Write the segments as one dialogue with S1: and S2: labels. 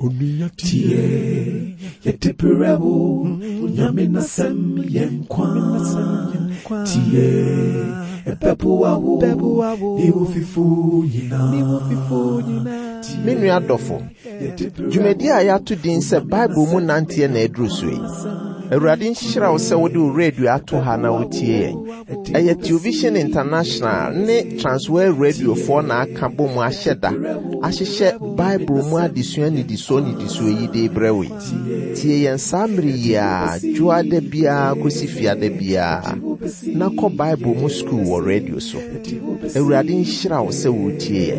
S1: Onua tie, yɛde brɛ wo, Onyame n'asɛm yɛ nkwa. Tie, ɛbɛboa wo, ne wo fifo nyinaa.
S2: Me nua dɔfo, dwumadi a yɛato din sɛ Bible mu nanteɛ na aduru so yi. Awurade nhyira wo sɛ wode wo radio ato ha na wotie yɛn. Ɛyɛ Television International ne Transworld Radiofoɔ na aka bɔ mu ahyɛ da ahyehyɛ Bible mu adesua nnidisoɔ nnidisoɔ yi de brɛ wo yi. Tie yɛn saa mmere yi ara dwoada biara kɔsi fiada biara na kɔ Bible mu sukuu wɔ radio so. Awurade nhyira wo sɛ woretie yɛn.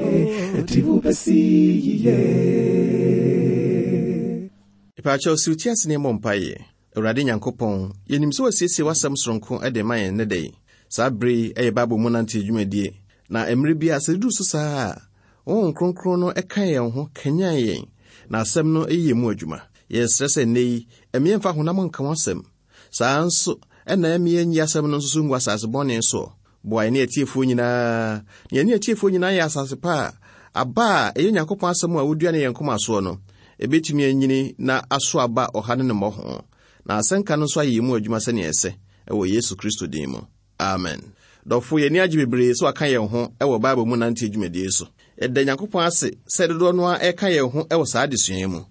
S3: Mpaakyɛw siw ti ase na yɛmmɔ mpaeɛ. Awurade Nyankopɔn, yɛnim sɛ woasiesie w'asɛm soronko de ma yɛn nnɛ da yi. Saa bere yi yɛ Bible mu nante dwumadie, na mmerɛ biara sɛ ɛduru so saa a, Honhom Kronkron no ka yɛn ho, kanyan yɛn, na asɛm no yɛ yɛn mu adwuma. Yɛsrɛ sɛ nnɛ yi, ɛmma yɛmfa honam nka w'asɛm. Saa ara nso na ɛmma yɛnyi asɛm no nso so ngu asase bɔne soɔ. Boa yɛne atiefoɔ nyinaa, na yɛne atiefoɔ nyinaa yɛ asase pa a aba a ɛyɛ Nyankopɔn asɛm a wodua no yɛn koma soɔ no, ɛbɛtumi anyini na aso aba ɔha ne ne mmɔho, na asɛnka no nso ayɛ yɛn mu adwuma sɛnea ɛsɛ, wɔ Yesu Kristo din mu. Amen. Dɔfo, yɛn ani agye bebree sɛ waka yɛn ho wɔ Bible mu nanteɛ dwumadie so. Yɛda Nyankopɔn ase sɛ dodoɔ no ara ɛka yɛn ho wɔ saa adesua yi mu.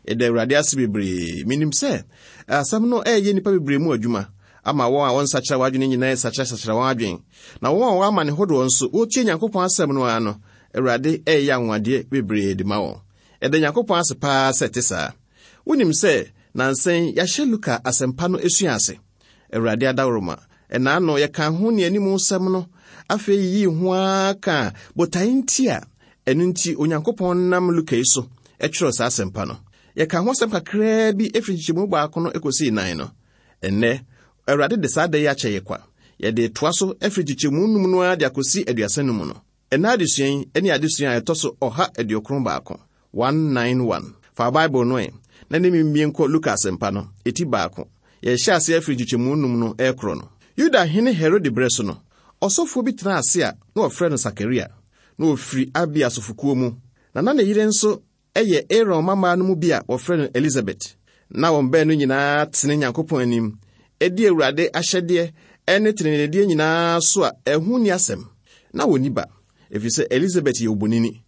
S3: Yɛda Awurade ase bebree. Menim sɛ asɛm no ɛreyɛ nnipa bebree mu adwuma ama wɔn a wɔnsakyera wɔn adwene nyinaa resakyerasakyera wɔn adwene, na wɔn a wɔwɔ amane hodoɔ nso, wɔretie Nyankopɔn asɛm no ara no, Awurade reyɛ anwanwadeɛ bebree de ma wɔn. Yɛda Nyankopɔn ase paa sɛ ɛte saa. Wonim sɛ nnansa yi yɛahyɛ Luka Asɛmpa no sua ase. Awurade adaworoma, ɛnaano yɛkaa ho ne anim nsɛm no, afei yiyii ho ara kaa botae nti a ɛno nti Onyankopɔn nam Luka yi so kyerɛw saa asɛmpa no. Yɛkaa ho asɛm kakraa bi firi nkyekyɛmu baako no kɔsii nan no. Ɛnnɛ, Awurade de saa da yi akyɛ yɛ kwa. Yɛde retoa so afiri nkyekyɛmu num no ara de akɔsi 35 no. Ɛnnɛ adesua yi ne adesua a ɛtɔ so 191, 191. Fa Bible no ɛ, na ne me mmie nkɔ Luka Asɛmpa no, eti baako. Yɛrehyɛ aseɛ afiri nkyekyɛmu num no rekorɔ no. Yuda hene Herode berɛ so no, ɔsɔfoɔ bi tenaa ase a na wɔfrɛ no Sakaria. Na ɔfiri Abia asɔfokuo mu, na na ne yere nso yɛ Aaron mmammaa no mu bi a wɔfrɛ no Elisabet. Na wɔn baanu nyinaa tene Nyankopɔn anim, di Awurade ahyɛdeɛ ne teneneedeɛ nyinaa so a ɛho nni asɛm. Na wɔnni ba, ɛfiri sɛ Elisabet yɛ obonini,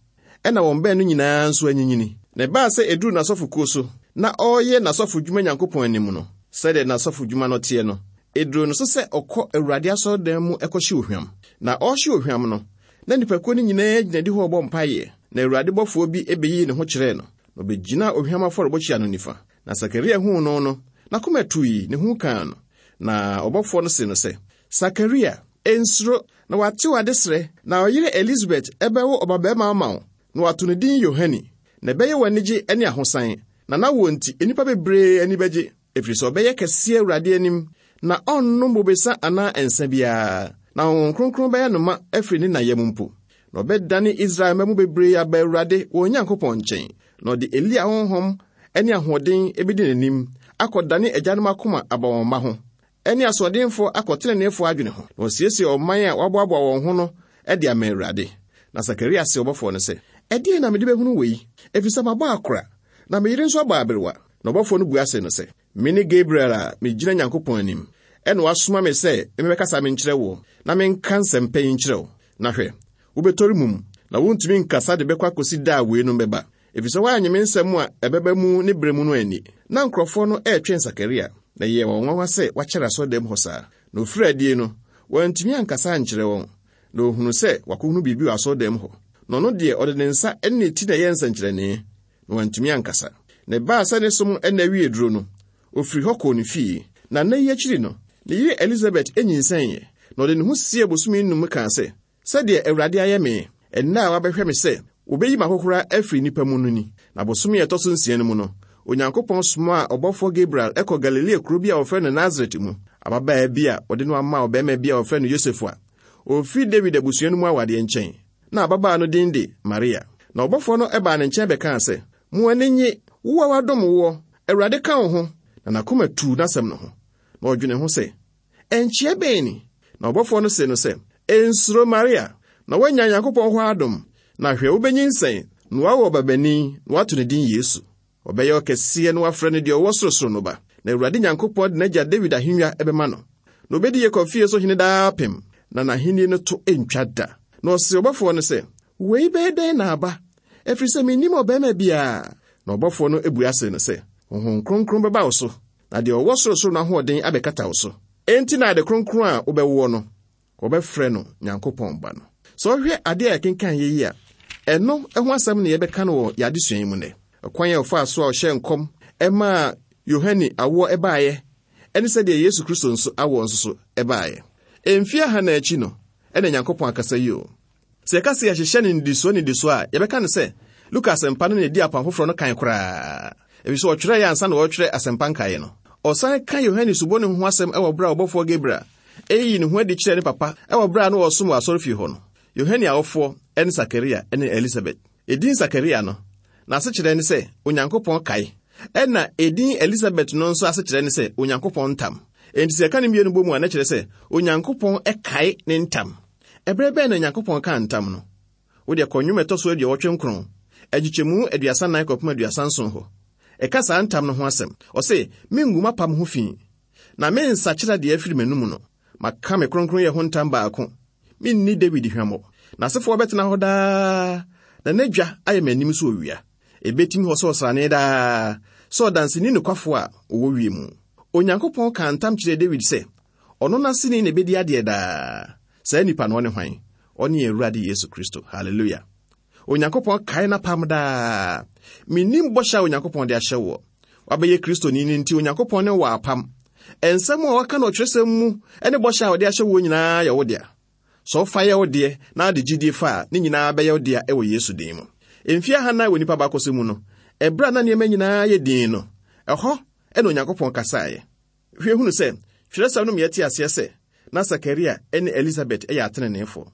S3: ɛna wɔn baanu nyinaa nso anyinyini. Na ɛbaa sɛ ɛduruu n'asɔfokuo so na ɔreyɛ n'asɔfodwuma Nyankopɔn anim no, sɛdeɛ n'asɔfodwuma no teɛ no, ɛduruu no so sɛ ɔkɔ Awurade asɔredan mu kɔhye ohwam. Na ɔrehye ohwam no, Na nnipakuo no nyinaa gyina adihɔ rebɔ mpaeɛ, na Awurade bɔfoɔ bi bɛyii ne ho kyerɛɛ no, na ɔbɛgyinaa ohwam afɔrebɔkyia no nifa. Na Sakaria huu no no, n'akoma tui, ne hu kaa no. Na ɔbɔfoɔ no see no sɛ, Sakaria, nsuro, na wɔate w'adesrɛ, na wo yere Elisabet bɛwo ɔbabarima ama wo, na wɔato no din Yohane. Na ɛbɛyɛ wo anigye ne ahosan, na n'awoɔ nti nnipa bebree ani bɛgye. Ɛfiri sɛ ɔbɛyɛ kɛseɛ Awurade anim, na ɔrennom bobesa anaa nsa biara, na Honhom Kronkron bɛyɛ no ma afiri ne na yam mpo. Na ɔbɛdane Israel mma mu bebree aba Awurade wɔn Nyankopɔn nkyɛn, na ɔde Elia honhom ne ahoɔden bɛdi n'anim akɔdane agyanom akoma aba wɔn mma ho, ne asoɔdenfoɔ akɔ teneneefoɔ adwene ho, na wasiesie ɔman a wɔaboaboa wɔn ho no de ama Awurade. Na Sakaria see ɔbɔfoɔ no sɛ, Ɛdeɛn na mede bɛhunu wei? Ɛfiri sɛ mabɔ akora, na me yere nso abɔ aberewa. Na ɔbɔfoɔ no bua see no sɛ, Mene Gabriel a megyina Nyankopɔn anim, ɛna wasoma me sɛ memmɛkasa menkyerɛ woɔ, na menka nsɛmpa yi nkyerɛ wo. Na hwɛ, wobɛtɔre mum, na wontumi nkasa de bɛkɔ akɔsi da a weinom bɛba, ɛfiri sɛ woannye me nsɛm a ɛbɛba mu ne berɛ mu no anni. Na nkurɔfoɔ no retwɛn Sakaria, na ɛyɛɛ wɔn nwanwa sɛ wakyɛre asɔredan mu hɔ saa. Na ɔfirii adie no, wantumi ankasa ankyerɛ wɔn, na wɔhunuu sɛ wakɔhunu biribi wɔ asɔredan mu hɔ. Na ɔno deɛ, ɔde ne nsa ne ne ti na ɛyɛɛ nsɛnkyerɛnne, na wantumi ankasa. Na ɛbaa sɛ ne som nna wiee duro no, ɔfirii hɔ kɔɔ ne fie. Na nna yi akyiri no, ne yere Elisabet nyinsɛneeɛ, na ɔde ne ho siee bosome nnum kaa sɛ, Sɛdeɛ Awurade ayɛ me, ɛnnɛ a wabɛhwɛ me sɛ wɔbɛyi m'ahohora afiri nnipa mu no ni. Na bosome a ɛtɔ so nsia no mu no, Onyankopɔn somaa ɔbɔfoɔ Gabriel kɔɔ Galilea kuro bi a wɔfrɛ no Nasaret mu, ababaa bi a wɔde no ama ɔbarima bi a wɔfrɛ no Yosef a ɔfiri Dawid abusua no mu awadeɛ nkyɛn. Na ababaa no din de Maria. Na ɔbɔfoɔ no baa ne nkyɛn bɛkaa sɛ, Mo ani nnye, wo a wɔadom woɔ, Awurade ka wo ho. Na n'akoma tuu n'asɛm no ho, na ɔdwenee ho sɛ, Ɛnkyea bɛn ni? Na ɔbɔfoɔ no see no sɛ, Nsuro, Maria, na woanya Nyankopɔn hɔ adom. Na hwɛ, wubenyinsɛn, na woawo ɔbabanin, na woato ne din Yesu. Ɔbɛyɛ ɔkɛseɛ na wɔafrɛ no deɛ ɔwɔ sorosoro no Ba. Na Awurade Nyankopɔn de n'agya Dawid ahennwa bɛma no. Na obedi Yakob fie so hene daapem, na n'ahenni no to ntwa da. Na ɔsee ɔbɔfoɔ no sɛ, Wei bɛyɛ dɛn na aba? Ɛfiri sɛ mennim ɔbarima biara. Na ɔbɔfoɔ no bua see no sɛ, Honhom Kronkron bɛba wo so, na deɛ ɔwɔ sorosoro no ahoɔden abɛkata wo so. Enti na ade kronkron a wobɛwoɔ no, wɔbɛfrɛ no Nyankopɔn Ba no. Sɛ wohwɛ ade a yɛkenkan yɛ yi a, ɛno ho asɛm na yɛbɛka no wɔ yɛn adesua yi mu nnɛ. Ɔkwan a ɔfaa so a ɔhyɛɛ nkɔm maa Yohane awoɔ baeɛ ne sɛdeɛ Yesu Kristo nso awoɔ nso so baeɛ. Mfeɛ ahanan akyi no na Nyankopɔn akasa yi o. Sɛ yɛka sɛ yɛhyehyɛ no nnidisoɔ nnidisoɔ a, yɛbɛka no sɛ Luka Asɛmpa no na ɛdi Apam Foforɔ no kan koraa, ɛfiri sɛ ɔtwerɛeɛ ansa na wɔretwerɛ Asɛmpa nkaeɛ no. Ɔsan ka Yohane Suboni ho asɛm wɔ berɛ a ɔbɔfoɔ Gabriel reyi ne ho adi kyerɛɛ ne papa wɔ berɛ a na ɔresom wɔ asɔrefie hɔ no. Yohane awofoɔ ne Sakaria ne Elisabet. Edin Sakaria no, n'asekyerɛ ne sɛ Onyankopɔn kae. Ɛnna edin Elisabet no nso asekyerɛ ne sɛ Onyankopɔn ntam. Enti sɛ yɛka ne mmienu bɔ mu a, na ɛkyerɛ sɛ Onyankopɔn kae ne ntam. Ɛberɛ bɛn na Onyankopɔn kaa ntam no? Wo deɛ kɔ Nnwom ɛtɔ so 89, nkyekyɛmu 34 kɔpem 37 hɔ. Ɛka saa ntam no ho asɛm. Ɔse, Mengu m'apam ho fi, na mensakyera deɛ afiri m'anom no. Maka me kronkronyɛ ho ntam baako, menni Dawid hwammɔ. N'asefoɔ bɛtena hɔ daa, na n'adwa ayɛ m'anim sɛ owia. Ɛbɛtim hɔ sɛ ɔsrane daa, sɛ ɔdanseni nokwafoɔ a ɔwɔ wiem. Onyankopɔn kaa ntam kyerɛɛ Dawid sɛ, ɔno n'aseni na ɛbɛdi adeɛ daa. Saa nipa no, ɔne hwan? Ɔne yɛn Awurade Yesu Kristo. Hallelujah! Onyankopɔn kae n'apam daa. Mennim bɔhyɛ a Onyankopɔn de ahyɛ woɔ. Wabɛyɛ Kristoni no nti, Onyankopɔn ne wo wɔ apam. Nsɛm a wɔaka no ɔtwerɛsɛm mu ne bɔhyɛ a ɔde ahyɛ woɔ nyinaa yɛ wo dea. Sɛ wofa yɛ wo deɛ na wode gyidie fa a, ne nyinaa bɛyɛ wo dea wɔ Yesu din mu. Mfeɛ ahanan wɔ nnipa abakɔsɛm mu no, ɛberɛ a na nneɛma nyinaa yɛ dinn no, ɛhɔ na Onyankopɔn kasaeɛ. Hwɛ hunu sɛ, twerɛsɛm no ma yɛte aseɛ sɛ na Sakaria ne Elisabet yɛ ateneneefoɔ.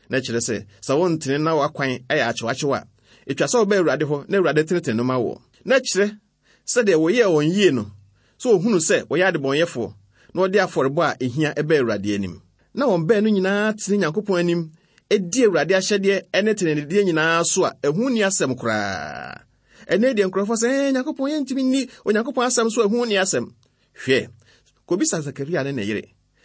S3: Na ɛkyerɛ sɛ, sɛ wontene na w'akwan yɛ akyewakyew a, etwa sɛ woba Awurade hɔ na Awurade tenetene no ma woɔ. Na ɛkyerɛ sɛ deɛ wɔyɛɛ wɔn yie no, sɛ wɔhunu sɛ wɔyɛ adebɔnyɛfoɔ na wɔde afɔrebɔ a ɛhia ba Awurade anim. Na wɔn baanu nyinaa tene Nyankopɔn anim di Awurade ahyɛdeɛ ne tenenedeɛ nyinaa so a ɛho nni asɛm koraa. Ɛnnɛ deɛ nkurɔfoɔ sɛ, ɛɛ Nyankopɔn yɛntumi nni Onyankopɔn asɛm so a ɛho nni asɛm. Hwɛ, kɔbisa Sakaria ne ne yere.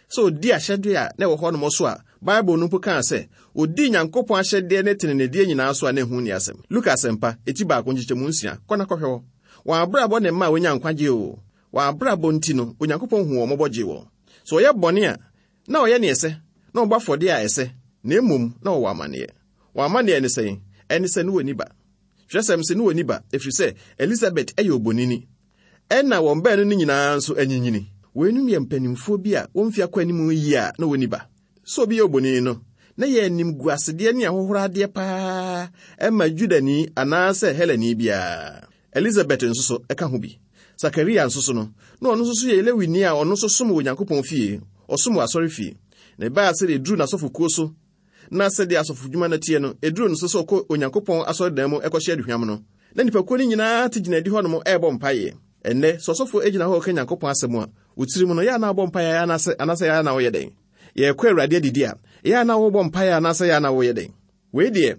S3: sɛ ɔdii ahyɛdeɛ a na ɛwɔ hɔnom so a Bible no mpo kaa sɛ ɔdii Nyankopɔn ahyɛdeɛ ne tenenedeɛ nyinaa so a na ɛho nni asɛm. Luka Asɛmpa, eti baako nkyekyɛmu nsia, kɔ na kɔhwɛ hɔ. Wɔn abrabɔ na ɛmaa wɔnyaa nkwagyeɛ oo. Wɔn abrabɔ nti no, Onyankopɔn huu wɔn mmɔbɔ gyee wɔn. Sɛ wɔyɛ bɔne a, na wɔyɛ nea ɛsɛ, na wɔbɔ afɔdeɛ a ɛsɛ, na mmom na wɔwɔ amanneɛ. Wɔn amanneɛ ne sɛn? Ɛne sɛ na wɔnni ba. Twerɛsɛm se na wɔnni ba, ɛfiri sɛ Elisabet yɛ obonini. Ɛnna wɔn baanu no nyinaa nso anyinyini. Weinom yɛ mpanimfoɔ bi a wɔn mfe akɔ anim yie a na wɔnni ba. Sɛ obi yɛ obonin no, na ɛyɛ animguasedeɛ ne ahohoradeɛ paa ma Yudani anaasɛ Helani biara. Elisabet nso so ka ho bi. Sakaria nso so no, na ɔno nso so yɛ Lewini a ɔno nso som wɔ Onyankopɔn fie, ɔsom wɔ asɔrefie. Na ɛbaa sɛdeɛ ɛduruu n'asɔfokuo so Na sɛdeɛ asɔfodwuma no teɛ no, ɛduruu no so sɛ ɔkɔ Onyankopɔn asɔredan mu kɔhyɛ aduhwam no, na nnipakuo no nyinaa te gyina adihɔ nom rebɔ mpaeɛ. Ɛnnɛ, sɛ ɔsɔfoɔ gyina hɔ reka Nyankopɔn asɛm a, wo tirim no, yɛ a na wobɔ mpaeɛ anaasɛ, anaasɛ yɛ a na woyɛ dɛn? Yɛrekɔ Awurade adidi a, yɛ a na wobɔ mpaeɛ anaasɛ yɛ a na woyɛ dɛn? Wei deɛ,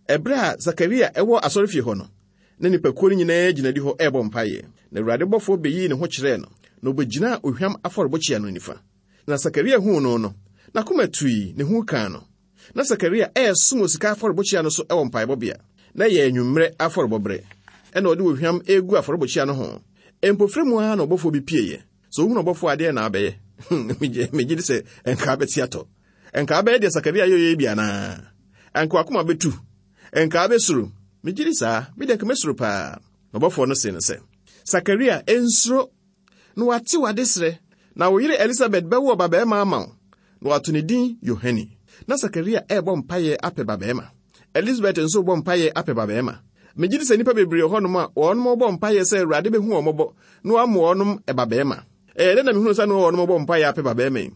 S3: ɛberɛ a Sakaria wɔ asɔrefie hɔ no, na nnipakuo no nyinaa gyina adihɔ rebɔ mpaeɛ. Na Awurade bɔfoɔ bɛyii ne ho kyerɛɛ no, na ɔbɛgyinaa ohwam afɔrebɔkyia no nifa. Na Sakaria huu no no, n'akoma tui, ne hu kaa no. Na Sakaria resom wɔ sika afɔrebukyia no so wɔ mpaebɔbea. Na ɛyɛ anwummerɛ afɔrebɔberɛ. Ɛnna ɔde ohwam regu afɔrebukyia no ho. Mpofirim ara na ɔbɔfoɔ bi pieeɛ. Sɛ wohunu ɔbɔfoɔ a, deɛn na wobɛyɛ? Megye di sɛ nka wobɛte atɔ. Nka wobɛyɛ deɛ Sakaria yɛeɛ yi bi anaa? Anka w'akoma bɛtu? Nka wobɛsuro? Megye di saa. Me deɛ nka mɛsuro paa. Na ɔbɔfoɔ no see no sɛ, Sakaria, nsuro! Na wɔate w'adesrɛ, na wo yere Elisabet bɛwo ɔbabarima ama wo, na wɔato ne din Yohane. Na Sakaria rebɔ mpaeɛ apɛ babarima. Elisabet nso rebɔ mpaeɛ apɛ babarima. Megye di sɛ nnipa bebree wɔ hɔnom a wɔnom rebɔ mpaeɛ sɛ Awurade bɛhu wɔn mmɔbɔ na wama wɔnom babarima. Ɛyɛ dɛn na mehunu sɛ na wɔnom rebɔ mpaeɛ apɛ babarima yi?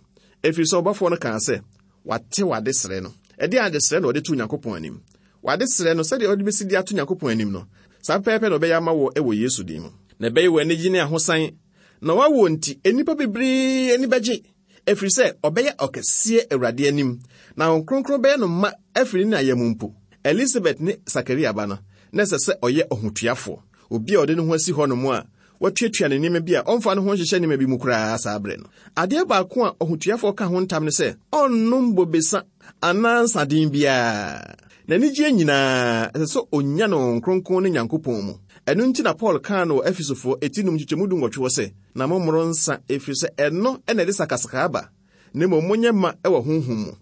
S3: Ɛfiri sɛ ɔbɔfoɔ no kaa sɛ, Wate w'adesrɛ no. Ɛdeɛn adesrɛ na ɔde too Nyankopɔn anim? W'adesrɛ no, sɛdeɛ wode bɛsi de ato Nyankopɔn anim no, saa pɛpɛɛpɛ na ɔbɛyɛ ama wo wɔ Yesu din mu. Na ɛbɛyɛ wo anigye ne ahosan, na w'awoɔ nti, nnipa bebree ani bɛgye, ɛfiri sɛ ɔbɛyɛ ɔkɛseɛ Awurade anim, na Honhom Kronkron bɛyɛ no ma afiri ne na yam mpo. Elisabet ne Sakaria ba no, na ɛsɛ sɛ ɔyɛ ɔhotuafoɔ. Obi a ɔde ne ho asi hɔnom a watuatua ne nneɛma bi a ɔmfa ne ho nhyehyɛ nneɛma bi mu koraa saa berɛ no. Adeɛ baako a ɔhotuafoɔ ka ho ntam ne sɛ ɔnnom bobesa anaa nsaden biara. N'anigyeɛ nyinaa, ɛsɛ sɛ ɔnya no Honhom Kronkron ne Nyankopɔn mu. Ɛno nti na Paul kaa no wɔ Efesofoɔ eti num nkyekyɛmu dunwɔtwe hɔ sɛ, Na mommoro nsa, ɛfiri sɛ ɛno na ɛde sakasaka ba, na mmom monyɛ ma wɔ honhom mu.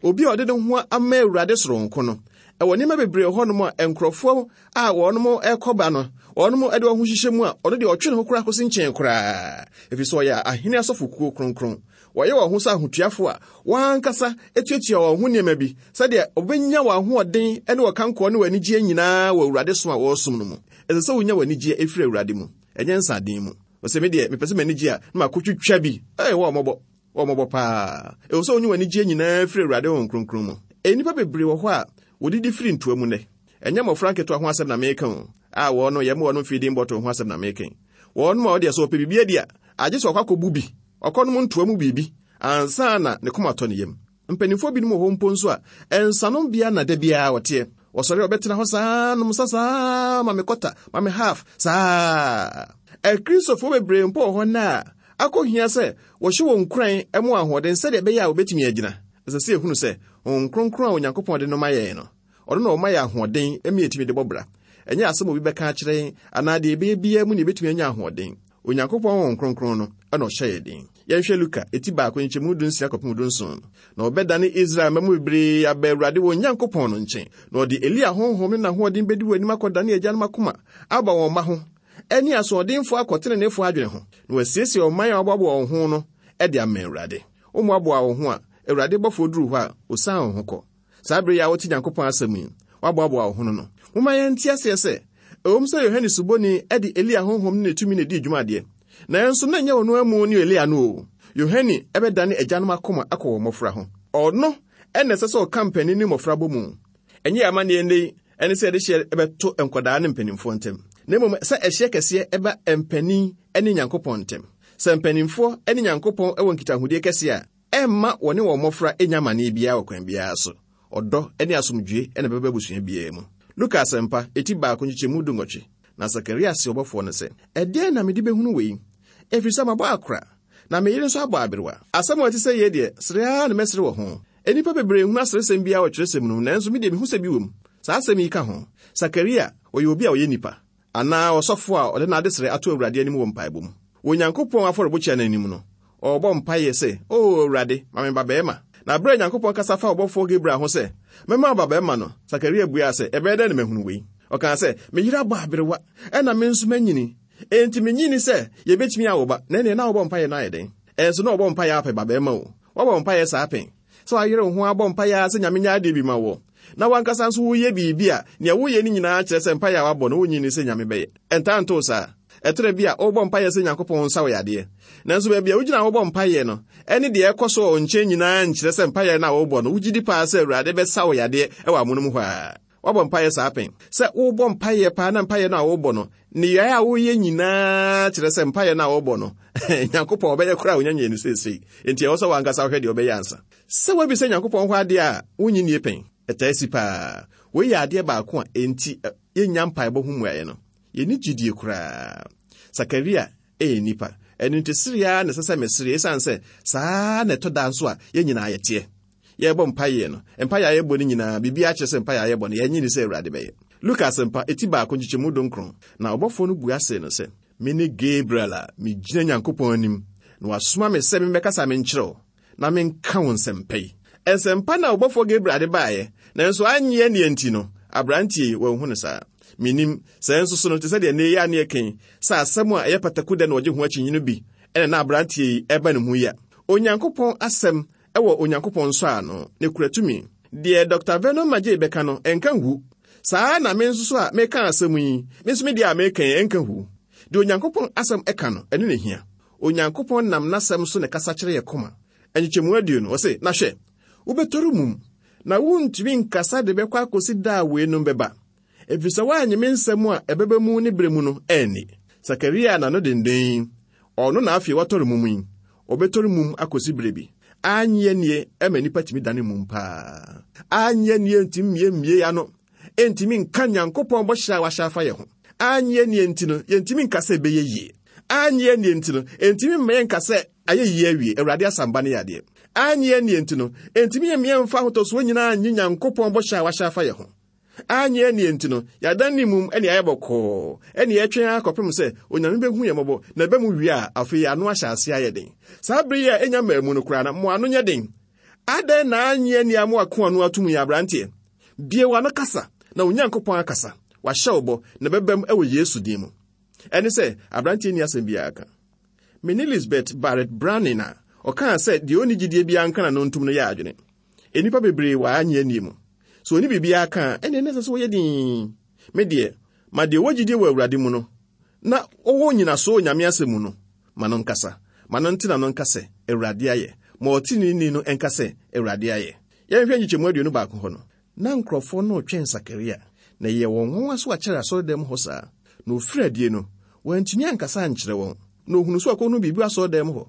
S3: Obi a ɔde ne ho ama Awurade soronko no, ɛwɔ nneɛma bebree wɔ hɔnom a nkurɔfoɔ a wɔnom rekɔba no, wɔnom de wɔn ho hyehyɛ mu a, ɔno deɛ ɔtwe ne ho koraa kɔsi nkyɛn koraa, ɛfiri sɛ ɔyɛ ahene asɔfokuo kronkron. Wɔyɛ wɔn ho sɛ ahotuafo a wɔn ankasa tuatua wɔn ho nneɛma bi sɛdeɛ wɔbɛnya wɔn ahoɔden ne wɔn kankoɔ ne wɔn anigyeɛ nyinaa wɔ Awurade som a wɔresom no mu. Ɛsɛ sɛ wonya w'anigyeɛ ɛfiri Awurade mu, ɛnyɛ nsaden mu. Ɔsɛ me deɛ mepɛ sɛ m'ani gye a na makɔtwitwa bi. Ɛɛ wɔ mmɔbɔ, wɔ mmɔbɔ paa. Ɛwɔ sɛ wonya w'anigyeɛ nyinaa firi Awurade Honhom Kronkron mu. Nnipa bebree wɔ hɔ a wɔdidi firi ntoa mu nnɛ. Ɛnyɛ mmɔfra nketewa ho asɛm na meka o, a wɔn no yɛma wɔnom feeding bottle ho asɛm na meka yi. Wɔnom a wɔdeɛ sɛ wɔpɛ biribi adi a, agye sɛ wɔkɔ akɔbu bi, ɔkɔnom ntoa mu biribi ansa na ne koma atɔ ne yam. Mpanimfoɔ binom wɔ hɔ mpo nso a, nsanom bea na da biara wɔteɛ. Wɔsɔre a wɔbɛtena hɔ saa nom nsa saa ma me kɔta, ma me half saa. Akristofoɔ bebree mpo wɔ hɔ nnɛ a, akɔhia sɛ wɔhyɛ wɔn nkuran ma wɔn ahoɔden sɛdeɛ ɛbɛyɛ a wɔbɛtumi agyina. Ɛsɛ sɛ yɛhunu sɛ Honhom Kronkron a Onyankopɔn de no ma yɛn no, Ɔno na ɔma yɛn ahoɔden ma yɛtumi de bɔ bra. Ɛnyɛ asɛm a obi bɛka akyerɛ yɛn anaa deɛ yɛbɛyɛ biara mu na yɛbɛtumi anya ahoɔden. Onyankopɔn Honhom Kronkron no na ɔhyɛ yɛn den. Yɛnhwɛ Luka, eti baako, nkyɛmu dunsia kɔpem dunson no. Na ɔbɛdane Israel mma mu bebree aba Awurade wɔn Nyankopɔn no nkyɛn, na ɔde Elia honhom ne n'ahoɔden bɛdi wɔn anim akɔdane agyanom akoma aba wɔn mma ho, ne asoɔdenfoɔ akɔ teneneefoɔ adwene ho, na wasiesie ɔman a wɔaboaboa wɔn ho no de ama Awurade. Wommoaboaa wo ho a, Awurade bɔfoɔ duru hɔ a, ɔsiane wo ho kɔ. Saa bere yi a wote Nyankopɔn asɛm yi, woaboaboa wo ho no no, momma yɛnte aseɛ sɛ, ɛwom sɛ Yohane Suboni de Elia honhom ne ne tumi na edii dwuma deɛ, nanso na ɛnyɛ ɔno amu ne Elia no o. Yohane bɛdane agyanom akoma akɔ wɔn mmɔfra ho. Ɔno na ɛsɛ sɛ ɔka mpanin ne mmɔfra bɔ mu. Ɛnyɛ yɛn amanneɛ nnɛ yi ne sɛ yɛde hyeɛ bɛto nkwadaa ne mpanimfoɔ ntam, na mmom sɛ ɛhyeɛ kɛseɛ ba mpanin ne Nyankopɔn ntam. Sɛ mpanimfoɔ ne Nyankopɔn wɔ nkitahodie kɛseɛ a, Ɛremma wɔne wɔn mmofra nnya amanneɛ biara wɔ kwan biara so. Ɔdɔ ne asomdwoe na ɛbɛba abusua biara mu. Luka Asɛmpa, eti baako, nkyekyɛmu dunwɔtwe. Na Sakaria see ɔbɔfoɔ no sɛ, Ɛdeɛn na mede bɛhunu wei? Ɛfiri sɛ mabɔ akora, na me yere nso abɔ aberewa. Asɛm a ɛte sɛ yei deɛ, sere ara na mɛsere wɔ ho. Nnipa bebree nhunu aseresɛm biara wɔ twerɛsɛm no mu, nanso me deɛ mehu sɛ bi wɔ mu. Saa asɛm yi ka ho. Sakaria, ɔyɛ obi a ɔyɛ nipa. Anaa ɔsɔfo a ɔde n'adesrɛ ato Awurade anim wɔ mpaebɔ mu. Wɔ Onyankopɔn afɔrebukyia no anim no, ɔrebɔ mpaeɛ sɛ, O Awurade, ma me babarima. Na berɛ a Onyankopɔn kasa faa ɔbɔfoɔ Gabriel ho sɛ, Mɛma wo babarima no, Sakaria buaa sɛ, Ɛbɛyɛ dɛn na mahunu wei? Ɔkaa sɛ, Me yere abɔ aberewa, ɛnna me nso manyini. Enti minnye nni sɛ yebetumi awo ba. Na ɛnneɛ na wobɔ mpaeɛ no ayɛ dɛn? Ɛnso na ɔbɔ mpaeɛ apɛ babarima o. Woabɔ mpaeɛ saa pɛn? Sɛ wayere wo ho abɔ mpaeɛ ara sɛ Nyame nyɛ adeɛ bi ma woɔ, na w'ankasa nso woyɛ biribi a, nea woyɛ no nyinaa kyerɛ sɛ mpaeɛ a wabɔ no wonnye nni sɛ Nyame bɛyɛ. Ɛntaa nto wo saa? Ɛtɔ da bi a, wobɔ mpaeɛ sɛ Nyankopɔn nsa wo yadeɛ. Nanso baabi a wogyina a wobɔ mpaeɛ no, ɛne deɛ ɛkɔ so wɔ wo nkyɛn nyinaa nkyerɛ sɛ mpaeɛ no a wobɔ no, wogye di paa sɛ Awurade bɛsa wo yadeɛ wɔ amonom hɔ ara. Woabɔ mpaeɛ saa pɛn? Sɛ wobɔ mpaeɛ paa na mpaeɛ no a wobɔ no, nneyɛe a woyɛ nyinaa kyerɛ sɛ mpaeɛ no a wobɔ no, Nyankopɔn ɔbɛyɛ koraa a onya nyɛɛ no seesei. Enti ɛwɔ sɛ w'ankasa wohwɛ deɛ wobɛyɛ ansa. Sɛ woabisa Nyankopɔn hɔ adeɛ a wonnye nnie pɛn? Ɛtaa si paa. Wei yɛ adeɛ baako a enti yɛnnya mpaebɔ ho mmuaeɛ no. Yɛnni gyidie koraa. Sakaria yɛ nnipa. Ɛno nti sereɛ ara na ɛsɛ sɛ mesere esiane sɛ saa na ɛtɔ da nso a yɛn nyinaa yɛteɛ. Yɛrebɔ mpaeɛ no, mpaeɛ a yɛbɔ no nyinaa, biribiara kyerɛ sɛ mpaeɛ a yɛbɔ no, yɛnnye nni sɛ Awurade bɛyɛ. Luka Asɛmpa, eti baako, nkyekyɛmu dunkron. Na ɔbɔfoɔ no bua see no sɛ, Mene Gabriel a megyina Nyankopɔn anim, na wasoma me sɛ memmɛkasa menkyerɛ wo, na menka wo nsɛmpa yi. Nsɛmpa na ɔbɔfoɔ Gabriel de baeɛ, nanso annye anni nti no, aberanteɛ yi, wanhu no saa. Mennim, sɛ nso so no, te sɛ deɛ nnɛ yi a ne yɛka yi, sɛ asɛm a ɛyɛ pataku dɛ na ɔgye ho akyinnye no bi na na aberanteɛ yi reba ne mu yi a. Onyankopɔn asɛm wɔ Onyankopɔn nsɔano, na ɛkura tumi. Deɛ Dɔkta Vernon McGee bɛka no, ɛnka ngu. Saa ara na me nso so a meka asɛm yi, me nso me deɛ a meka yi, ɛnka ngu. Deɛ Onyankopɔn asɛm ka no, ɛno na ɛhia. Onyankopɔn nam n'asɛm so na ɛkasa kyerɛ yɛn koma. Nkyekyɛmu aduonu, ɔse, Na hwɛ, wobɛtɔre mum, na worentumi nkasa de bɛkɔ akɔsi da a weinom bɛba, ɛfiri sɛ woannye me nsɛm a ɛbɛba mu ne berɛ mu no anni. Sakaria n'ano denden yi, ɔno na afei watɔre mum yi, ɔbɛtɔre mum akɔsi berɛ bi. Annye annie ma nnipa tumi dane mum paa. Annye annie ntumi mmiemmie ano, ɛntumi nka Nyankopɔn bɔhyɛ a wahyɛ afa yɛn ho. Annye annie nti no, yɛntumi nka sɛ ɛbɛyɛ yie. Annye annie nti no, ɛntumi mma yɛnka sɛ ayɛ yie awie, Awurade asamba no yɛ adeɛ. Annye annie nti no, ɛntumi mma yɛmfa ahotɔsoɔ nyinaa nnye Nyankopɔn bɔhyɛ a wahyɛ afa yɛn ho. Annye annie nti no, yɛadan ne mum ne ayɛ bɔkɔɔ, ɛne yɛtwɛn ara kɔpem sɛ Onyame bɛhu yɛn mmɔbɔ, na ɛba mu wie a, afei yɛn ano ahyɛ aseɛ ayɛ den. Saa bere yi a ɛnya mmaa mu no koraa no, mo ano nyɛ den. Adɛn na annye annie a moako ano atom yi, aberanteɛ? Bue w'ano kasa, na wo Nyankopɔn akasa. Wahyɛ wo bɔ, na ɛbɛbam wɔ Yesu din mu. Ɛne sɛ, aberanteɛ nni asɛm biara ka. Me ne Lisbeth Barrett Browning a ɔkaa sɛ deɛ ɔnni gyidie biara nka n'ano ntom no yɛ adwene. Nnipa bebree wɔ annye annie mu. Sɛ ɔnni biribiara ka a, ɛnneɛ na ɛsɛ sɛ ɔyɛ dinn. Me deɛ, ma deɛ ɔwɔ gyidie wɔ Awurade mu no, na ɔwɔ nnyinasoɔ wɔ Nyame asɛm mu no, ma no nkasa. Ma no nte n'ano nka sɛ, Awurade ayɛ. Ma ɔteneneeni no nka sɛ, Awurade ayɛ. Yɛnhwɛ nkyekyɛmu 21 hɔ no. Na nkurɔfoɔ no retwɛn Sakaria, na ɛyɛɛ wɔn nwanwa sɛ wakyɛre asɔredan mu hɔ saa. Na ɔfirii adie no, wantumi ankasa ankyerɛ wɔn. Na ɔhunuu sɛ wakɔhunu biribi wɔ asɔredan mu hɔ,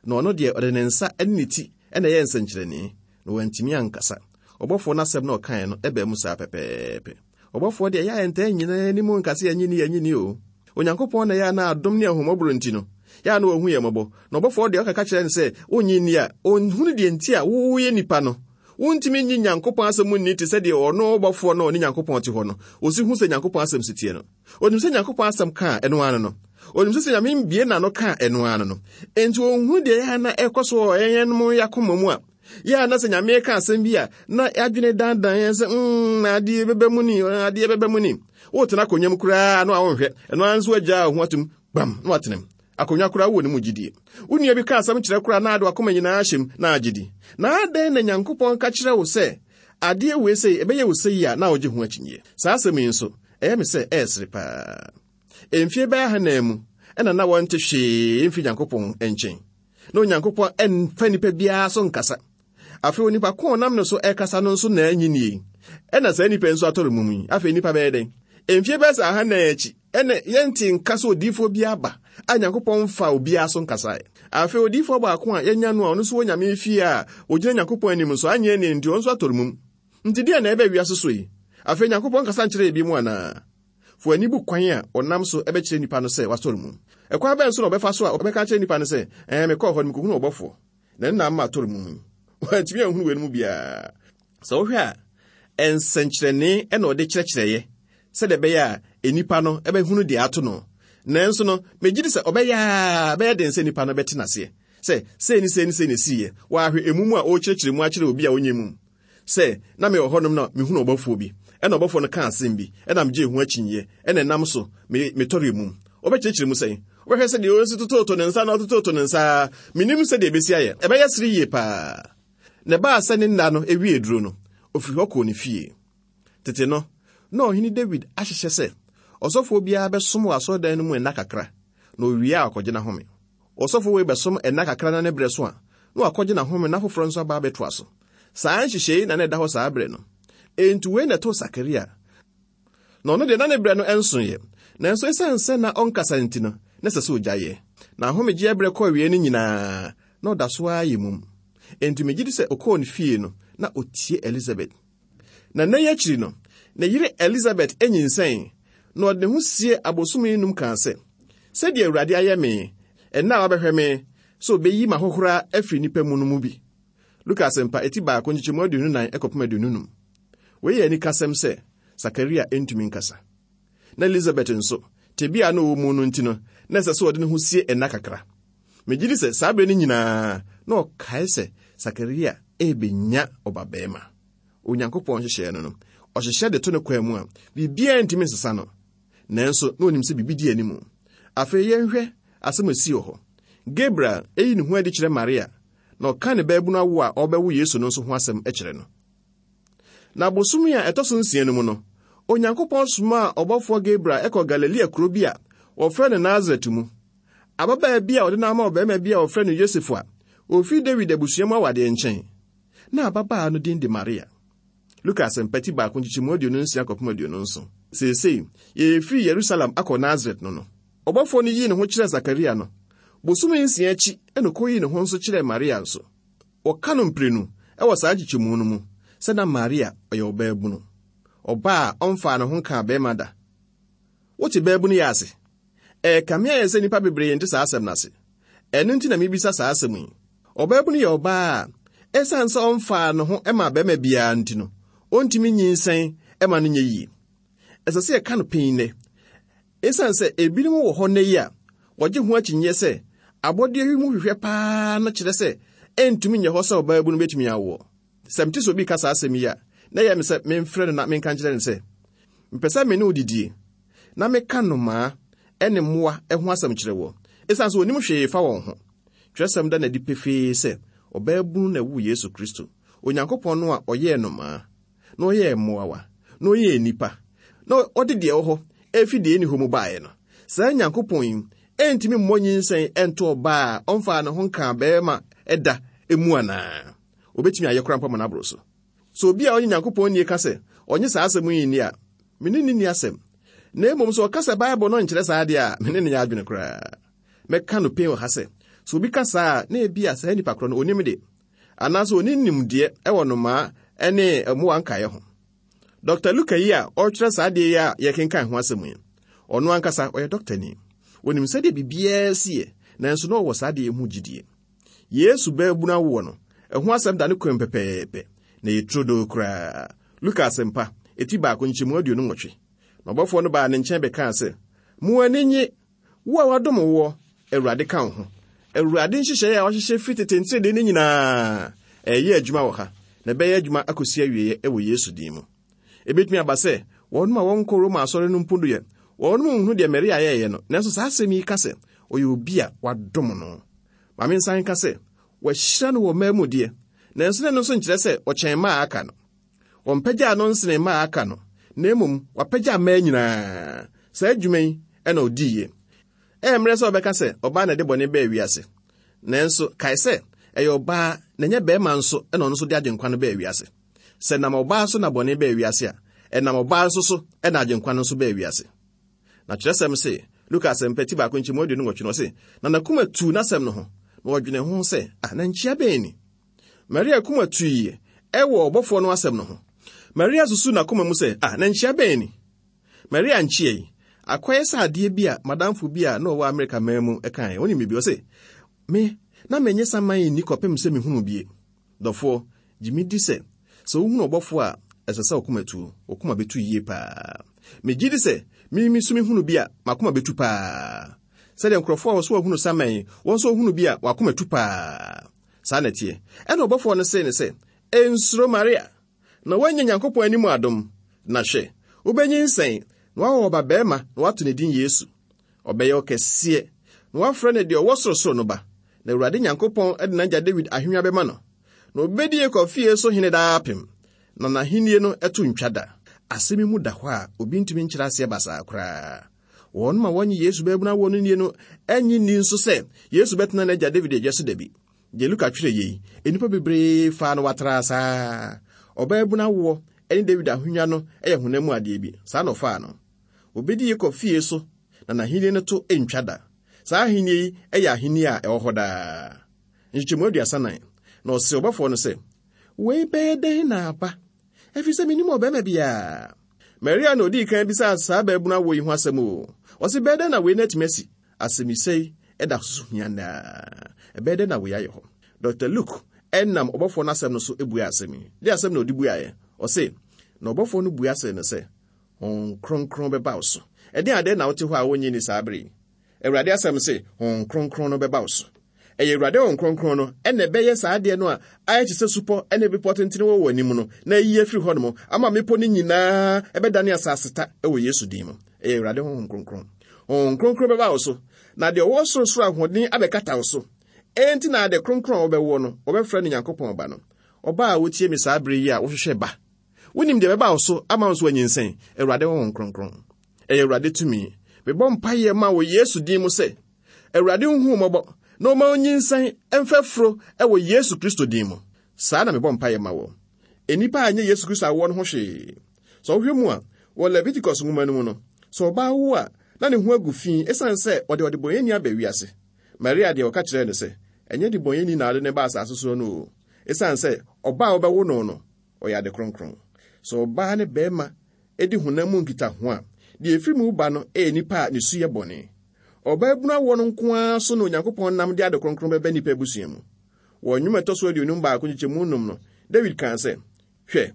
S3: na ɔno deɛ ɔde ne nsa ne ne ti na ɛyɛɛ nsɛnkyerɛnne, na wantumi ankasa. Ɔbɔfoɔ no asɛm no a ɔkaeɛ no baa mu saa pɛpɛɛpɛ. Ɔbɔfoɔ deɛ, ɛyɛ a yɛntaa nnyina yɛn anim nka sɛ yɛnnye nni, yɛnnye nni o. Onyankopɔn na ɛyɛ a na adom ne ahummɔborɔ nti no, yɛ a na wahu yɛn mmɔbɔ. Na ɔbɔfoɔ deɛ ɔkaka kyerɛ no sɛ, wonnye nni a, ɔnhunu deɛ nti a woyɛ nipa no. Wontumi nnye Nyankopɔn asɛm nni te sɛ deɛ ɔno ɔbɔfoɔ no a ɔne Nyankopɔn te hɔ no, ɔsi hu sɛ Nyankopɔn asɛm si teɛ no. Ɔnim sɛ Nyankopɔn asɛm ka a, ɛno ara no no. Ɔnim sɛ sɛ Nyame mbie n'ano ka a, ɛno ara no no. Enti ɔnhunu deɛ ɛyɛ a na ɛkɔ so wɔ yɛn yɛn akoma mu a, yɛ a na sɛ Nyame ka asɛm bi a, na adwene dandan yɛn sɛ, mm, adeɛ bɛba mu ni, adeɛ bɛba mu ni. Wotena akonnwa mu koraa na wonhwɛ, ɛno ara nso agyaa wo ho atom, gbam, na watena mu. Akonnwa koraa wowɔ ne mu gyidie. Wo nua bi ka asɛm kyerɛ koraa na ade wakoma nyinaa hyɛ mu na agye di. Na adɛn na Nyankopɔn ka kyerɛ wo sɛ adeɛ wei sei ɛbɛyɛ wo sei a na wogye ho akyinnyeɛ? Saa asɛm yi nso, ɛyɛ me sɛ ɛresere paa. Mfie bɛyɛ ahanan mu ɛna na wɔnte hwee mfiri Nyankopɔn nkyɛn. Na Onyankopɔn mfa nipa biara so nkasa. Afei onipa ko a ɔnam ne so ɛkasa no nso na anyi nie. Ɛna saa nipa nso atɔre mum yi. Afei nipa bɛyɛ dɛn? Mfie bɛyɛ sɛ ahanan akyi, ɛna yɛnte nka sɛ odiyifoɔ bi aba a Nyankopɔn mfa obiara so nkasae. Afei odiyifoɔ baako a yɛanya no a ɔno nso wɔ Nyame fie a ogyina Nyankopɔn anim nso anyɛ ne nti ɔno nso atɔre mum. Nti deɛ na ɛbɛ wiase so yi? Afei Nyankopɔn kasa nkyerɛ ebi mu anaa? Fa w'ani bu kwan a ɔnam so bɛkyerɛ nnipa no sɛ wasɔre mu. Ɛkwan bɛn so na ɔbɛfa so a ɔbɛka akyerɛ nnipa no sɛ, Ɛɛ, mekɔɔ hɔ no, mikohunuu ɔbɔfoɔ, na ɛno na ama matɔre mu yi? Wantumi anhunu weinom mu biara. Sɛ wohwɛ a, nsɛnkyerɛnne na ɔde kyerɛkyerɛeɛ sɛdeɛ ɛbɛyɛ a nnipa no bɛhunu deɛ ato no. Nanso no, megye di sɛ ɔbɛyɛ a ɛbɛyɛ den sɛ nnipa no bɛte no aseɛ sɛ sei ne sei ne sei na ɛsiiɛ. Wɔahwɛ emu mu a ɔrekyerɛkyerɛ mu akyerɛ obi a ɔnyɛ mum. Sɛ, na mewɔ hɔnom na mihunuu ɔbɔfoɔ bi, ɛna ɔbɔfoɔ no kaa asɛm bi, ɛna megyee ho akyinnyeɛ, ɛna ɛnam so me, metɔree mum. Wobɛkyerɛkyerɛ mu sɛn? Wobɛhwɛ sɛdeɛ ɔsi tototo ne nsa na ɔtototo ne nsa ara. Mennim sɛdeɛ ɛbɛsi ayɛ. Ɛbɛyɛ sere yie paa. Na ɛbaa sɛ ne nna no wiee duro no, ɔfiri hɔ kɔɔ ne fie. Tete no, na Ɔhene Dawid ahyehyɛ sɛ ɔsɔfoɔ biara bɛsom wɔ asɔredan no mu nna kakra, na ɔwie a ɔkɔgye n'ahome. Ɔsɔfo wei bɛsom nna kakra na ne berɛ so a, na wakɔgye n'ahome na foforɔ nso aba abɛtoa so. Saa nhyehyɛe yi na na ɛda hɔ saa berɛ no. Enti wei na ɛtoo Sakaria. Na ɔno deɛ na ne berɛ no nsoeɛ. Nanso esiane sɛ na ɔnkasa nti no, na ɛsɛ sɛ ɔgyaeɛ. Na ahomegyeɛ berɛ kɔ awiei no nyinaa, na ɔda so ara yɛ mum. Enti megye di sɛ ɔkɔɔ ne fie no, na ɔtie Elisabet. Na nna yi akyiri no, ne yere Elisabet nyinsɛn, na ɔde ne ho sie abosome nnum kaa sɛ, Sɛdeɛ Awurade ayɛ me, ɛnnɛ a wabɛhwɛ me sɛ ɔbɛyi m'ahohora afiri nnipa mu no mu bi. Luka Asɛmpa, eti baako, nkyekyɛmu 24 kɔpem 25. Wei yɛ anikasɛm sɛ Sakaria ntumi nkasa. Na Elisabet nso, tebea a na ɔwɔ mu no nti no, na ɛsɛ sɛ ɔde ne ho sie nna kakra. Megye di sɛ saa bere no nyinaa na ɔkae sɛ Sakaria rebenya ɔbabarima. Onyankopɔn nhyehyɛe no no, ɔhyehyɛ de to ne kwan mu a, biribiara ntumi nsesa no. Nanso, na onim sɛ biribi di anim. Afei yɛnhwɛ asɛm a esii wɔ hɔ. Gabriel yi ne ho adi kyerɛ Maria, na ɔka ne baabunu awo a ɔrebɛwo Yesu no nso ho asɛm kyerɛ no. Na bosome a ɛtɔ so nsia no mu no, Onyankopɔn somaa ɔbɔfoɔ Gabriel kɔɔ Galilea kuro bi a wɔfrɛ no Nasaret mu. Ababaa bi a ɔde no ama ɔbarima bi a wɔfrɛ no Yosef a ofi Dawid abusua mu awadeɛ nkyɛn. Na ababaa no din de Maria. Luka Asɛmpa ti baako nkyekyɛmu 26 kɔpem 27. Seesei, yɛrefiri Yerusalem akɔ Nasaret no no, ɔbɔfoɔ no yii ne ho kyerɛɛ Sakaria no, bosome nsia akyi na ɔkɔyii ne ho nso kyerɛɛ Maria nso. Wɔka no mprenu wɔ saa nkyekyɛmu no mu sɛ na Maria ɔyɛ ɔbaabunu, ɔbaa a ɔmfaa ne ho nkaa barima da. Wote baabunu yi ase? Ɛrekame ayɛ sɛ nnipa bebree nte saa asɛm no ase. Ɛno nti na mibisa saa asɛm yi. Ɔbaabunu yɛ ɔbaa a esiane sɛ ɔmfaa ne ho mmaa barima biara nti no, ontumi nyinsɛn ma no nyɛ yiye. Ɛsɛ sɛ yɛka no pen nnɛ. Esiane sɛ ebinom wɔ hɔ nnɛ yi a wɔgye ho akyinnye sɛ abɔde yi mu hwehwɛ paa no kyerɛ sɛ ɛntumi nyɛ hɔ sɛ ɔbaabunu betumi awoɔ. Sɛ mete sɛ obi reka saa asɛm yi a, na ɛyɛ me sɛ memfrɛ no na menka nkyerɛ no sɛ, Mepɛ sɛ me ne wo didie, na meka nnomaa ne mmoa ho asɛm kyerɛ woɔ, esiane sɛ wɔnnim hwee fa wɔn ho. Twerɛsɛm da no adi pefee sɛ ɔbaabunu na ɛwoo Yesu Kristo, Onyankopɔn no a ɔyɛɛ nnomaa, na ɔyɛɛ mmoawa, na ɔyɛɛ nnipa, na ɔde deɛ ɛwɔ hɔ ɛfiri deɛ ɛnni hɔ mu baeɛ no. Saa Nyankopɔn yi ɛntumi mmɔ nyinsɛn ɛnto ɔbaa a ɔmfaa ne ho nkaa barima da mu anaa? Obetumi ayɛ koraa mpo ama no aboro so. Sɛ obi a ɔnye Nyankopɔn nnie ka sɛ ɔnye saa asɛm yi nni a, me ne no nni asɛm. Na mmom sɛ ɔka sɛ Bible no nkyerɛ saa deɛ a, me ne no nyɛ adwene koraa. Mɛka no pen wɔ ha sɛ, sɛ obi ka saa a, na ebia saa nipa korɔ no onim de, anaasɛ onni nimdeɛ wɔ nnomaa ne mmoa nkaeɛ ho. Dɔkta Luka yi a ɔretwerɛ saa adeɛ yi a yɛrekenkan ho asɛm yi, ɔno ankasa ɔyɛ dɔktani. Onim sɛdeɛ biribiara si yɛ, nanso na ɔwɔ saa adeɛ yi ho gyidie. Yesu baabunu awoɔ no, ɛho asɛm da ne kwan pɛpɛɛpɛ, na ɛyɛ turodoo koraa. Luka Asɛmpa, eti baako nkyɛmu 28. Na ɔbɔfoɔ no baa ne nkyɛn bɛkaa sɛ, Mo ani nnye, wo a wɔadom woɔ, Awurade ka wo ho. Awurade nhyehyɛeɛ a wahyehyɛ firi tete nteredee no nyinaa, ɛreyɛ adwuma wɔ ha, na ɛbɛyɛ adwuma akɔsi awieeɛ wɔ Yesu din mu. Ebetumi aba sɛ wɔnom a wɔnkɔ Roma asɔre no mpo deɛ, wɔnom nhunu deɛ Maria yɛeɛ no, nanso saa asɛm yi ka sɛ ɔyɛ obi a wadom no. Ma mensan nka sɛ, wɔahyira no wɔ mmaa mu deɛ, nanso na ɛno nso nkyerɛ sɛ ɔkyɛn mmaa a aka no. Wɔmpagyaa no nsenee mmaa a aka no, na mmom wapagya mmaa nyinaa. Saa adwuma yi na ɔdiiɛ. Ɛyɛ mmerɛ sɛ wɔbɛka sɛ ɔbaa na ɛde bɔne baa wiase. Nanso kae sɛ ɛyɛ ɔbaa na ɛnyɛ barima nso na ɔno nso de agyenkwa no baa wiase. Sɛ ɛnam ɔbaa so na bɔne baa wiase a, ɛnam ɔbaa nso so na agyenkwa no nso baa wiase. Na kyerɛsɛm se, Luka Asɛmpa ti baako nkyɛmu 28 no, ɔse, Na n'akoma tuu n'asɛm no ho, na ɔdwenee ho sɛ, Ah, na nkyia bɛn ni? Maria koma tuiɛ ɛwɔ ɔbɔfoɔ no asɛm no ho. Maria susuu n'akoma mu sɛ, Ah, na nkyia bɛn ni? Maria nkyia yi, akɔyɛ sɛ adeɛ bi a madamfo bi a na ɔwɔ Amerika man mu kaeɛ. Wonim biribi? Ɔse, Me, na menye saman nni kɔpem sɛ mehunuu bie. Dɔfoɔ, gye me di sɛ, sɛ wohunu ɔbɔfoɔ a, ɛsɛ sɛ wo koma tu. Wo koma bɛtu yie paa. Megye di sɛ, me me nso mehunu bi a, m'akoma bɛtu paa. Sɛdeɛ nkurɔfoɔ a wɔso wɔahunu saman yi, wɔn nso wɔhunu bi a, wɔn akoma tu paa. Saa na ɛteɛ. Ɛnna ɔbɔfoɔ no see no sɛ, Nsuro, Maria, na woanya Nyankopɔn anim adom. Na hwɛ, wobɛnyinsɛn, na woawo ɔbabarima, na woato ne din Yesu. Ɔbɛyɛ ɔkɛseɛ, na wɔafrɛ no deɛ ɔwɔ sorosoro no Ba, na Awurade Nyankopɔn de n'agya Dawid ahennwa bɛma no, na ɔbɛdi Yakob fie so hene daapem, na n'ahennie no to ntwa da. Asɛm yi mu da hɔ a obi ntumi nkyerɛ aseɛ basaa koraa. Wɔn a wɔnnye Yesu baabunu awoɔ no nnie no nnye nni nso sɛ Yesu bɛtena n'agya Dawid adwa so da bi. Deɛ Luka twerɛ yei, nnipa bebree faa no watraa saa. Ɔbaabunu awoɔ ne Dawid ahennwa no yɛ honam mu adeɛ bi, saa na ɔfaa no. Obedi Yakob fie so, na n'ahenni no to rentwa da. Saa ahenni yi yɛ ahenni a ɛwɔ hɔ daa. Nkyekyɛmu 34. Na ɔsee ɔbɔfoɔ no sɛ, Wei bɛyɛ dɛn na aba? Ɛfiri sɛ mennim ɔbarima biara. Maria na odii kan bisaa saa baabunu awoɔ yi ho asɛm o. Ɔse, Bɛyɛ dɛn na wei no atumi asi? Asɛmmisa yi da so hia nnɛ ara. Ɛbɛyɛ dɛn na wei ayɛ hɔ? Dɔkta Luke nam ɔbɔfoɔ no asɛm no so buaa asɛm yi. Deɛ asɛm na ɔde buaeɛ? Ɔse, Na ɔbɔfoɔ no bua see no sɛ, Honhom Kronkron bɛba wo so. Ɛdeɛn adeɛ na wote hɔ a wonnye nni saa bere yi? Awurade asɛm se, Honhom Kronkron no bɛba wo so. Ɛyɛ Awurade Honhom Kronkron no na ɛbɛyɛ saa adeɛ no a ayɛ te sɛ supɔ ne bepɔ tentene wɔ w'anim no na ayi afiri hɔnom ama mmepɔ no nyinaa ɛbɛdane asaseta wɔ Yesu din mu. Ɛyɛ Awurade Honhom Kronkron. Honhom Kronkron bɛba wo so, na deɛ ɔwɔ sorosoro ahoɔden abɛkata wo so. Enti na ade kronkron a wobɛwoɔ no, wɔbɛfrɛ no Nyankopɔn Ba no. Ɔbaa a wotie me saa bere yi a wohwehwɛ ba Wonim deɛ ɛbɛba wo so ama wo nso wanyinsɛn? Awurade Honhom Kronkron. Ɛyɛ Awurade tumi. Mebɔ mpaeɛ ma wɔ Yesu din mu sɛ, Awurade nhu wo mmɔbɔ na ɔma wo nyinsɛn mfa furo wɔ Yesu Kristo din mu. Saa na mebɔ mpaeɛ ma wɔ. Nnipa a ɛnyɛ Yesu Kristo awoɔ no ho hwee. Sɛ wohwɛ mu a, wɔ Leviticus nwoma no mu no, sɛ ɔbaa wo a, na ne ho agu fi esiane sɛ ɔde ɔdebɔneyɛni aba wiase. Maria deɛ ɔka kyerɛɛ no sɛ, ɛnyɛ debɔneyɛni na ɔde no ba asase soɔ no o, esiane sɛ ɔba a wobɛwo no no, ɔyɛ ade kronkron. Sɛ ɔbaa ne barima di honam mu nkitaho a, Deɛ ɛfiri mu ba no yɛ nipa a ne su yɛ bɔne. Ɔbaabunu awoɔ no nko ara so na Onyankopɔn nam de ade kronkron bɛba nnipa abusua mu. Wɔ nnwom a ɛtɔ so 51 nkyekyɛmu num no, Dawid kaa sɛ, Hwɛ,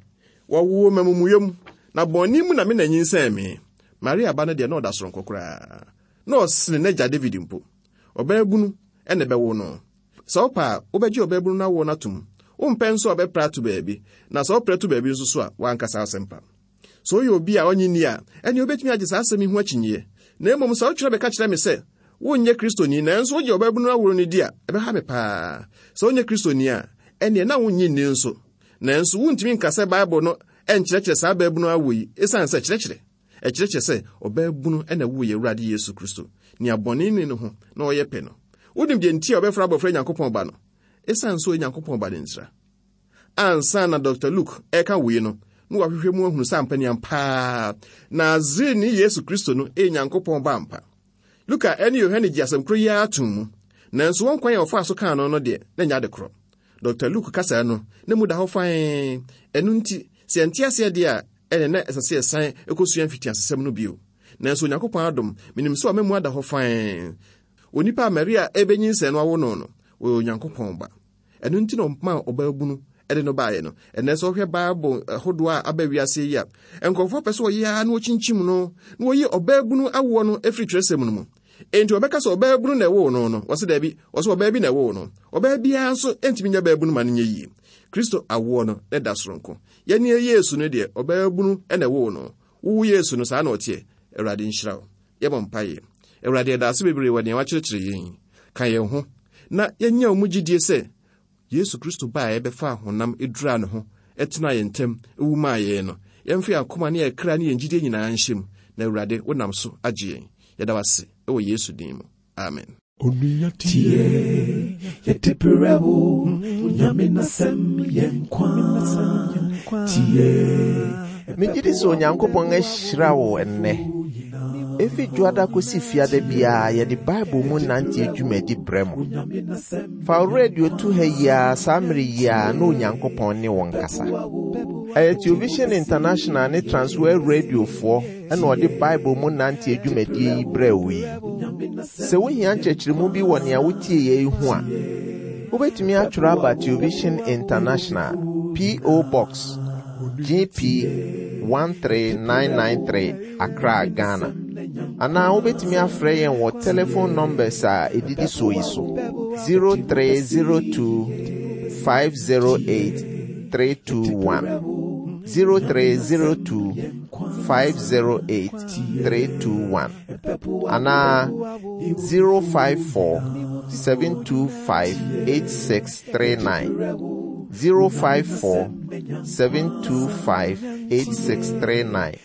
S3: wɔwoo me amumuyɛ mu, na bɔne mu na me na nyinsɛn me. Maria ba no deɛ, na ɔda soronko koraa. Na ɔsene n'agya David mpo. Ɔbaabunu na ɛbɛwo no. Sɛ wopɛ a, wobɛgye ɔbaabunu no awoɔ no atom. Wompɛ nso a, ɔbɛpra ato baabi. Na sɛ wopra to baabi nso so a, w'ankasa asɛmpa. Sɛ woyɛ obi a ɔnnye nni a, ɛnneɛ wobɛtumi agye saa asɛm yi ho akyinnyeɛ. Na mmom sɛ wotwerɛ bɛka kyerɛ me sɛ wonyɛ Kristoni nanso wogye ɔbaabunu awoɔ no di a, ɛbɛha me paa. Sɛ wonyɛ Kristoni a, ɛnneɛ na wonnye nni nso. Nanso wuntumi nka sɛ Bible no nkyerɛkyerɛ saa baabunu awo yi esiane sɛ kyerɛkyerɛ. Ɛkyerɛkyerɛ sɛ ɔbaabunu na ɛwoo yɛn Awurade Yesu Kristo, nea bɔne nni ne ho na ɔyɛ pɛ no. Wunim deɛ nti a wɔbɛfrɛ abɔfra Nyankopɔn Ba no? Esiane sɛ ɔyɛ Nyankopɔn Ba no ntira. Ansa na Dɔkta Luke reka wei no, na wahwehwɛ mu ahunu sɛ ampa ni ampa Nasareni Yesu Kristo no yɛ Nyankopɔn Ba ampa. Luka ne Yohane gye asɛm koro yi ara tom mu, nanso wɔn kwan a wɔfaa so kaa no no deɛ, na ɛnyɛ ade korɔ. Dɔkta Luke kasa no, na mu da hɔ fann. Ɛno nti, sɛ yɛnte aseɛ deɛ a, ɛnneɛ na ɛsɛ sɛ yɛsan kɔsua mfitiasesɛm no bio. Nanso Onyankopɔn adom, menim sɛ wama mu ada hɔ fann. Onipa a Maria rebɛnyinsɛn no awo no no, ɔyɛ Onyankopɔn Ba. Ɛno nti na ɔmaa ɔbaabunu de no baeɛ no. Ɛnnɛ sɛ wohwɛ Bible ahodoɔ a aba wiase yi a, nkurɔfoɔ pɛ sɛ wɔyɛ ara na wɔkyinkyim no, na wɔyi ɔbaabunu awoɔ no firi twerɛsɛm no mu. Enti wɔbɛka sɛ ɔbaabunu na ɛwoo no no, wɔse daabi, wɔse ɔbaa bi na ɛwoo no. Ɔbaa biara nso ntumi nyɛ baabunu ma no nyɛ yie. Kristo awoɔ no ne da soronko. Yɛne Yesu no deɛ, ɔbaabunu na ɛwoo no. Wowo Yesu no, saa na ɔteɛ. Awurade nhyira wo. Yɛbɔ mpaeɛ. Awurade, yɛda ase bebree wɔ nea wakyerɛkyerɛ yɛn yi. Ka yɛn ho na yɛnya wo mu gyidie sɛ Yesu Kristo ba a ɛbɛfaa honam duraa ne ho tenaa yɛn ntam wu maa yɛn no. Yɛmfa yɛn akoma ne yɛn kra ne yɛn gyidie nyinaa nhyɛ mu, na Awurade, wonam so agye yɛn. Yɛda wo ase wɔ Yesu din mu. Amen.
S1: Onua tie, yɛde brɛ wo, Onyame n'asɛm yɛ nkwa. Tie.
S2: Megye di sɛ Onyankopɔn ahyira wo ɛnnɛ. Efi Dwoada kosi Fiada biara yɛde Bible mu nante dwumadi brɛ mo. Fa wo radio to ha yi ara saa mmere yi ara na Onyankopɔn ne wo nkasa. Ɛyɛ Television International ne Transworld Radiofoɔ na ɔde Bible mu nante dwumadie yi brɛɛ wo yi. Sɛ wohia nkyerɛkyerɛmu bi wɔ nea wotieeɛ yi ho a, wobɛtumi atwerɛ aba Television International, P.O. Box, GP 13993, Accra, Ghana. Anaa wobɛtumi afrɛ yɛn wɔ telephone numbers a ɛdidi soɔ yi so 0302 508 321 0302 508 321 anaa 054 725 8639 054 725 8639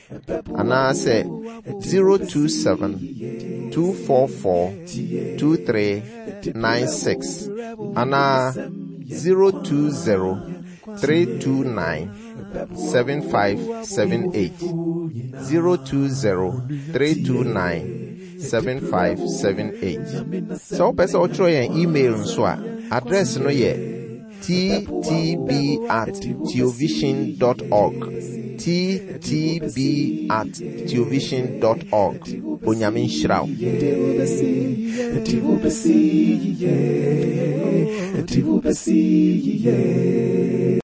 S2: anaasɛ 027 244 2396 anaa 020 329 7578 020 329 7578. Sɛ wopɛ sɛ wotwerɛ yɛn email nso a, address no yɛ ttb at theovision dot org ttb at theovision dot org. Onyame nhyira wo.